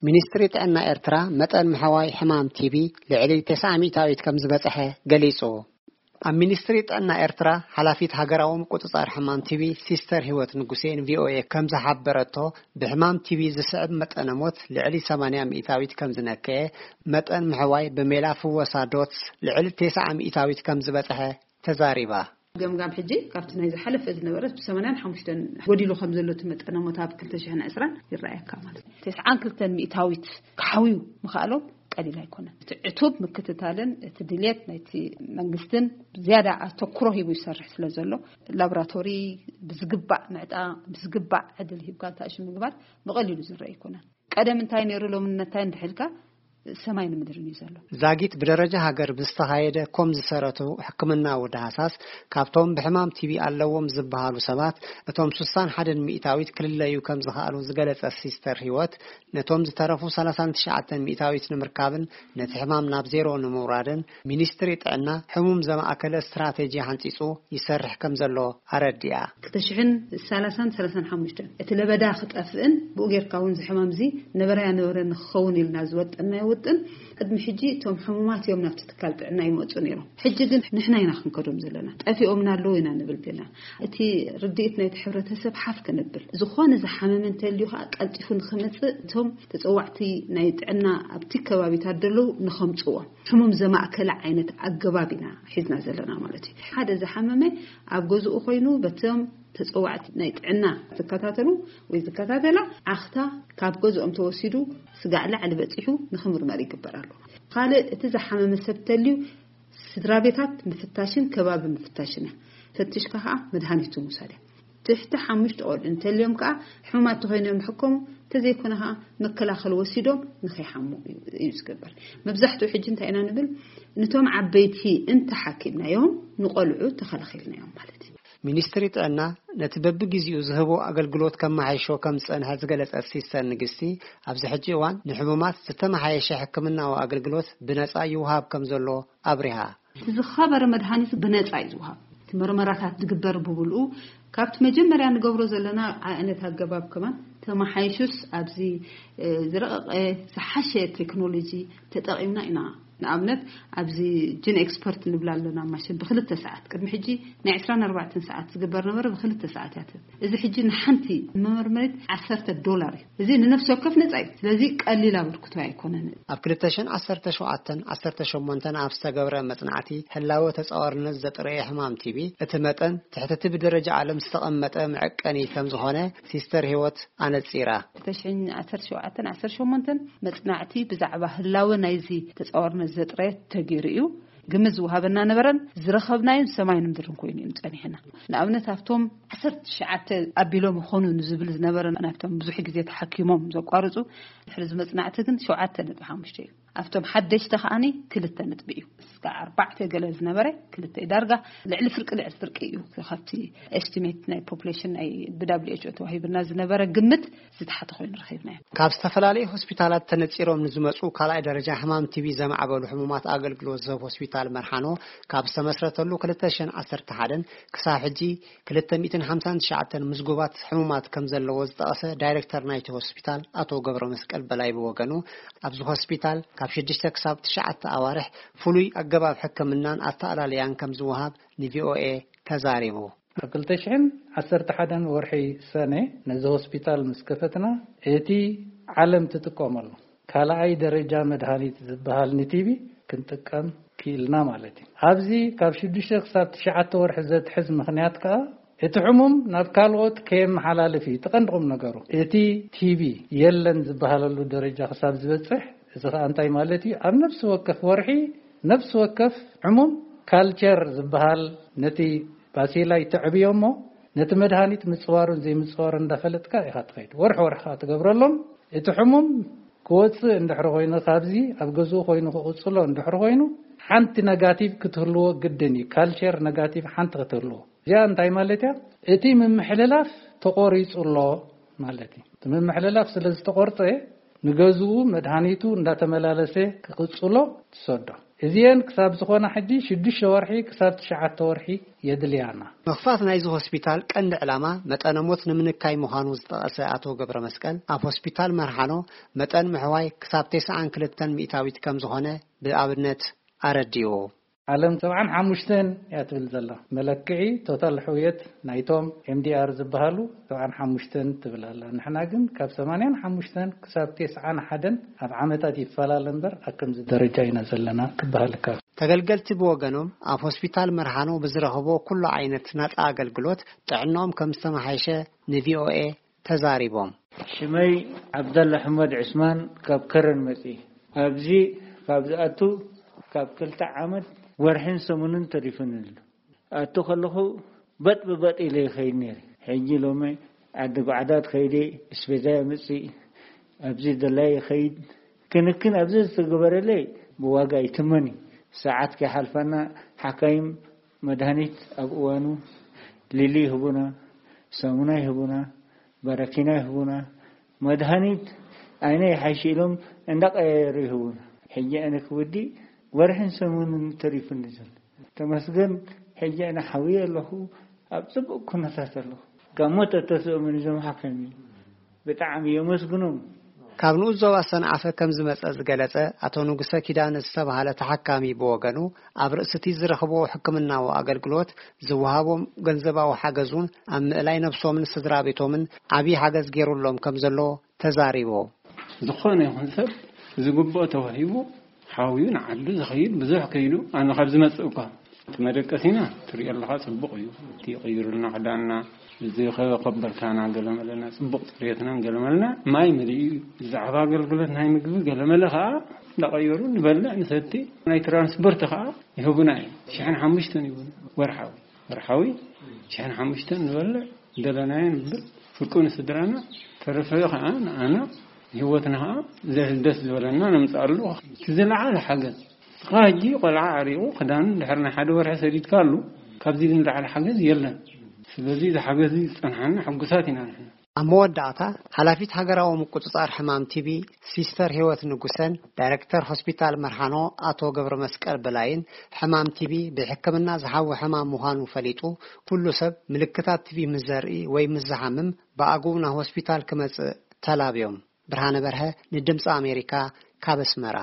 ሚኒስትሪ ጥዕና ኤርትራ መጠን ምሕዋይ ሕማም ቲቢ ልዕሊ ተስዓ ሚእታዊት ከም ዝበጽሐ ገሊጹ። ኣብ ሚኒስትሪ ጥዕና ኤርትራ ሓላፊት ሃገራዊ ምቁጽጻር ሕማም ቲቢ ሲስተር ህይወት ንጉሴ ንቪኦኤ ከም ዝሓበረቶ፣ ብሕማም ቲቢ ዝስዕብ መጠነ ሞት ልዕሊ ሰማንያ ሚእታዊት ከም ዝነከየ፣ መጠን ምሕዋይ ብሜላ ፍወሳ ዶትስ ልዕሊ ተስዓ ሚእታዊት ከም ዝበጽሐ ተዛሪባ። ገምጋም ሕጂ ካብቲ ናይ ዝሓለፈ ዝነበረ ብ ሰማንያን ሓሙሽተን ጎዲሉ ከም ዘሎ እቲ መጠነ ሞት ኣብ ክልተ ሽሕን ዕስራን ይረኣየካ ማለት እዩ። ተስዓን ክልተን ሚእታዊት ክሓውዩ ምኽኣሎም ቀሊል ኣይኮነን። እቲ ዕቱብ ምክትታልን እቲ ድልየት ናይቲ መንግስትን ዝያዳ ኣተኩሮ ሂቡ ይሰርሕ ስለ ዘሎ፣ ላቦራቶሪ ብዝግባእ ምዕጣ፣ ብዝግባእ ዕድል ሂብካ እንተኣሽ ምግባር ብቐሊሉ ዝረአ ኣይኮነን። ቀደም እንታይ ነይሩ ሎሚ እንታይ እንድሕልካ ሰማይ ንምድርን እዩ ዘሎ። ዛጊት ብደረጃ ሃገር ብዝተኻየደ ኮም ዝሰረቱ ሕክምናዊ ዳህሳስ፣ ካብቶም ብሕማም ቲቢ ኣለዎም ዝበሃሉ ሰባት እቶም ስሳን ሓደን ሚእታዊት ክልለዩ ከም ዝኸኣሉ ዝገለጸ ሲስተር ህይወት፣ ነቶም ዝተረፉ ሰላሳን ትሽዓተን ሚእታዊት ንምርካብን ነቲ ሕማም ናብ ዜሮ ንምውራድን ሚኒስትሪ ጥዕና ሕሙም ዘማእከለ ስትራቴጂ ሓንጺጹ ይሰርሕ ከም ዘሎ ኣረዲኣ። ክልተ ሽሕን ሰላሳን ሰላሳን ሓሙሽተን እቲ ለበዳ ክጠፍእን ብኡ ጌርካ እውን እዚ ሕማም እዚ ነበረ ያነበረ ንክኸውን ኢልና ዝወጠናዮ ውጥን፣ ቅድሚ ሕጂ እቶም ሕሙማት እዮም ናብቲ ትካል ጥዕና ይመፁ ነይሮም። ሕጂ ግን ንሕና ኢና ክንከዶም ዘለና። ጠፊኦምና ኣለዉ ኢና ንብል ዘለና። እቲ ርድኢት ናይቲ ሕብረተሰብ ሓፍ ክንብል፣ ዝኾነ ዝሓመመ እንተልዩ ከዓ ቀልጢፉ ንክመፅእ እቶም ተፀዋዕቲ ናይ ጥዕና ኣብቲ ከባቢታት ዘለዉ ንከምፅዎም ሕሙም ዘማእከለ ዓይነት ኣገባብ ኢና ሒዝና ዘለና ማለት እዩ። ሓደ ዝሓመመ ኣብ ገዝኡ ኮይኑ በቶም ተፀዋዕቲ ናይ ጥዕና ዝከታተሉ ወይ ዝከታተላ ዓኽታ ካብ ገዝኦም ተወሲዱ ስጋዕ ላዕሊ በፂሑ ንክምርመር ይግበር ኣሎ። ካልእ እቲ ዝሓመመ ሰብ ተልዩ ስድራ ቤታት ምፍታሽን ከባቢ ምፍታሽን እያ። ፈትሽካ ከዓ መድሃኒቱ ምውሳድ እያ። ትሕቲ ሓሙሽተ ቆልዑ እንተልዮም ከዓ ሕሙማት ተኮይኖም ይሕከሙ፣ እንተዘይኮነ ከዓ መከላኸሊ ወሲዶም ንኸይሓሙ እዩ እዩ ዝግበር። መብዛሕትኡ ሕጂ እንታይ ኢና ንብል፣ ንቶም ዓበይቲ እንተሓኪምናዮም ንቆልዑ ተኸላኺልናዮም ማለት እዩ። ሚኒስትሪ ጥዕና ነቲ በብግዜኡ ዝህቦ ኣገልግሎት ከመሓይሾ ከም ዝጸንሐ ዝገለጸት ሲስተር ንግስቲ፣ ኣብዚ ሕጂ እዋን ንሕሙማት ዝተመሓየሸ ሕክምናዊ ኣገልግሎት ብነጻ ይውሃብ ከም ዘሎ ኣብሪሃ። እቲ ዝኸበረ መድሃኒት ብነጻ እዩ ዝውሃብ። እቲ መርመራታት ዝግበር ብብልኡ ካብቲ መጀመርያ ንገብሮ ዘለና ዓይነት ኣገባብ ከማን ተመሓይሹስ ኣብዚ ዝረቐቐ ዝሓሸ ቴክኖሎጂ ተጠቒምና ኢና። ንኣብነት ኣብዚ ጅን ኤክስፐርት ንብላ ኣለና ማሽን ብክልተ ሰዓት፣ ቅድሚ ሕጂ ናይ ዕስራን ኣርባዕተን ሰዓት ዝግበር ነበረ፣ ብክልተ ሰዓት እያ። እዚ ሕጂ ንሓንቲ መመርመሪት ዓሰርተ ዶላር እዩ። እዚ ንነፍሲ ወከፍ ነጻ እዩ። ስለዚ ቀሊል ኣበርክቶ ኣይኮነን። ኣብ ክልተ ሽሕን ዓሰርተ ሸውዓተን ዓሰርተ ሸሞንተን ኣብ ዝተገብረ መጽናዕቲ ህላወ ተጻዋርነት ዘጥረየ ሕማም ቲቢ እቲ መጠን ትሕቲ እቲ ብደረጃ ዓለም ዝተቐመጠ መዐቀኒ ከም ዝኾነ ሲስተር ህይወት ኣነጺራ። ክልተ ሽሕን ዓሰርተ ሸውዓተን ዓሰርተ ሸሞንተን መጽናዕቲ ብዛዕባ ህላወ ናይዚ ተጻዋርነት ዘጥረየ ተገይሩ እዩ። ግምት ዝወሃበና ነበረን ዝረኸብናዮን ሰማይን ምድርን ኮይኑ እዩ ጸኒሕና። ንኣብነት ኣብቶም ዓሰርተ ትሽዓተ ኣቢሎም ይኾኑ ንዝብል ዝነበረ ናብቶም ብዙሕ ግዜ ተሓኪሞም ዘቋርጹ ድሕሪ ዝመጽናዕቲ ግን ሸውዓተ ነጥቢ ሓሙሽተ እዩ። ኣብቶም ሓደሽቲ ከዓኒ ክልተ ነጥቢ እዩ። እስካ ኣርባዕተ ገለ ዝነበረ ክልተ እዩ። ዳርጋ ልዕሊ ፍርቂ ልዕሊ ፍርቂ እዩ ካብቲ ኤስቲሜት ናይ ፖፕሌሽን ናይ ብዳብሊው ኤች ኦ ተዋሂብና ዝነበረ ግምት ዝተሓተ ኮይኑ ረኺብናዮ። ካብ ዝተፈላለዩ ሆስፒታላት ተነጺሮም ንዝመጹ ካልኣይ ደረጃ ሕማም ቲቢ ዘማዕበሉ ሕሙማት ኣገልግሎት ዝህብ ሆስፒታል መርሓኖ ካብ ዝተመስረተሉ ክልተ ሽሕን ዓሰርተ ሓደን ክሳብ ሕጂ ክልተ ሚእትን ሓምሳን ትሽዓተን ምዝጉባት ሕሙማት ከም ዘለዎ ዝጠቐሰ ዳይሬክተር ናይቲ ሆስፒታል ኣቶ ገብረ መስቀል በላይ ብወገኑ፣ ኣብዚ ሆስፒታል ካብ ሽዱሽተ ክሳብ ትሽዓተ ኣዋርሕ ፍሉይ ኣገባብ ሕክምናን ኣተኣላልያን ከም ዝወሃብ ንቪኦኤ ተዛሪቡ። ኣብ ክልተ ሽሕን ዓሰርተ ሓደን ወርሒ ሰነ ነዚ ሆስፒታል ምስ ከፈትና፣ እቲ ዓለም ትጥቀመሉ ካልኣይ ደረጃ መድሃኒት ዝበሃል ንቲቢ ክንጥቀም ክኢልና ማለት እዩ። ኣብዚ ካብ ሽዱሽተ ክሳብ ትሽዓተ ወርሒ ዘትሕዝ ምኽንያት ከኣ፣ እቲ ሕሙም ናብ ካልኦት ከየመሓላልፍ እዩ። እቲ ቀንዲ ቁም ነገሩ፣ እቲ ቲቢ የለን ዝበሃለሉ ደረጃ ክሳብ ዝበጽሕ፣ እዚ ከኣ እንታይ ማለት እዩ? ኣብ ነፍሲ ወከፍ ወርሒ፣ ነፍሲ ወከፍ ሕሙም ካልቸር ዝበሃል ነቲ ባሲላይ ተዕብዮ እሞ፣ ነቲ መድሃኒት ምጽዋሩን ዘይምጽዋሩን እንዳፈለጥካ ኢኻ ትኸይድ። ወርሒ ወርሒ ከኣ ትገብረሎም። እቲ ሕሙም ክወጽእ እንድሕሪ ኮይኑ፣ ካብዚ ኣብ ገዝኡ ኮይኑ ክቕጽሎ እንድሕሪ ኮይኑ፣ ሓንቲ ነጋቲቭ ክትህልዎ ግድን እዩ። ካልቸር ነጋቲቭ ሓንቲ ክትህልዎ። እዚኣ እንታይ ማለት እያ? እቲ ምምሕልላፍ ተቖሪጹ ኣሎ ማለት እዩ። እቲ ምምሕልላፍ ስለ ዝተቖርጸ፣ ንገዝኡ መድሃኒቱ እንዳተመላለሰ ክቕጽሎ ትሰዶ። እዚኤን ክሳብ ዝኾና ሕጂ ሽዱሽተ ወርሒ ክሳብ ትሽዓተ ወርሒ የድልያና። ምኽፋት ናይዚ ሆስፒታል ቀንዲ ዕላማ መጠነ ሞት ንምንካይ ምዃኑ ዝጠቐሰ ኣቶ ገብረ መስቀል፣ ኣብ ሆስፒታል መርሃኖ መጠን ምሕዋይ ክሳብ ተስዓን ክልተን ሚእታዊት ከም ዝኾነ ብኣብነት ኣረዲኡ። ዓለም ሰብዓን ሓሙሽተን እያ ትብል ዘላ። መለክዒ ቶታል ሕውየት ናይቶም M D R ዝበሃሉ ሰብዓን ሓሙሽተን ትብል ኣላ። ንሕና ግን ካብ ሰማንያን ሓሙሽተን ክሳብ ተስዓን ሓደን ኣብ ዓመታት ይፈላለ እምበር ኣብ ከምዚ ደረጃ ኢና ዘለና ክበሃል ይከኣል። ተገልገልቲ ብወገኖም ኣብ ሆስፒታል መርሃኖ ብዝረኽቦ ኩሉ ዓይነት ናጻ ኣገልግሎት ጥዕናኦም ከም ዝተመሓየሸ ን V O A ተዛሪቦም። ሽመይ ዓብደላ ኣሕመድ ዕስማን ካብ ከረን መጺ። ኣብዚ ካብ ዝኣቱ ካብ ክልተ ዓመት ወርሕን ሰሙንን ተሪፉኒ ኣሎ። ኣቱ ከለኹ በጥ ብበጥ ኢለ ይኸይድ ነይረ። ሕጂ ሎሚ ዓዲ ጓዕዳት ከይደ እስቤዛ የምጽእ፣ ኣብዚ ደላይ ይኸይድ። ክንክን ኣብዚ ዝተገበረለይ ብዋጋ ይትመን እዩ። ሰዓት ከይሓልፋና ሓካይም መድሃኒት ኣብ እዋኑ ሊሊ ይህቡና፣ ሳሙና ይህቡና፣ በረኪና ይህቡና፣ መድሃኒት ዓይነ ይሓይሽ ኢሎም እንዳቀያየሩ ይህቡና። ሕጂ ኣነ ክውዲ ወርሕን ሰሙንን ተሪፉኒ ዘሎ። ተመስገን፣ ሕጂ ኣነ ሓውየ ኣለኹ፣ ኣብ ጽቡቕ ኩነታት ኣለኹ። ካብ ሞት እተስኦምን እዞም ሓካይም ብጣዕሚ የመስግኖም። ካብ ንኡስ ዞባ ሰንዓፈ ከም ዝመጸ ዝገለጸ ኣቶ ንጉሰ ኪዳነ ዝተባሃለ ተሓካሚ ብወገኑ፣ ኣብ ርእሲ እቲ ዝረኽብዎ ሕክምናዊ ኣገልግሎት ዝወሃቦም ገንዘባዊ ሓገዝ እውን ኣብ ምእላይ ነብሶምን ስድራ ቤቶምን ዓብዪ ሓገዝ ገይሩሎም ከም ዘሎ ተዛሪቡ። ዝኾነ ይኹን ሰብ ዝግብኦ ተዋሂቡ ሓውዩ ንዓዱ ዝኸይድ ብዙሕ ከይዱ ኣነ ካብ ዝመጽእ እኳ እቲ መደቀሲና ትሪኦ ኣለኻ ጽቡቕ እዩ። እቲ ይቕይሩልና ክዳንና፣ እዚ ከበርካና ገለመለና፣ ጽቡቕ ጽሬትናን ገለመለና ማይ መሊኡ እዩ። ብዛዕባ ኣገልግሎት ናይ ምግቢ ገለመለ ከዓ እንዳቐየሩ ንበልዕ ንሰቲ፣ ናይ ትራንስፖርት ከዓ ይህቡና እዮም። ሽሕን ሓሙሽተን ይህቡና ወርሓዊ። ወርሓዊ ሽሕን ሓሙሽተን ንበልዕ፣ ደለናዮ ንብል፣ ፍርቁ ንስድራና፣ ተረፈ ከዓ ንኣና፣ ንህይወትና ከዓ ዘ-፣ ደስ ዝበለና ነምፅኣሉ። እቲ ዝለዓለ ሓገዝ፣ እስኻ ሕጂ ቆልዓ ዓሪቑ ክዳኑ ድሕሪ ናይ ሓደ ወርሒ ሰዲድካ ኣሉ፣ ካብዚ ንላዕሊ ሓገዝ የለን። ስለዚ እዚ ሓገዝ እዚ ዝፀንሓና ሕጉሳት ኢና ንሕና። ኣብ መወዳእታ፣ ሓላፊት ሃገራዊ ምቁጽጻር ሕማም ቲቢ ሲስተር ህይወት ንጉሰን ዳይሬክተር ሆስፒታል መርሃኖ ኣቶ ገብረ መስቀል በላይን፣ ሕማም ቲቢ ብሕክምና ዝሓዊ ሕማም ምዃኑ ፈሊጡ፣ ኩሉ ሰብ ምልክታት ቲቢ ምስ ዘርኢ ወይ ምስ ዝሓምም ብኣግኡ ናብ ሆስፒታል ክመጽእ ተላብዮም። ብርሃነ በርሀ ንድምጺ ኣሜሪካ ካብ ኣስመራ።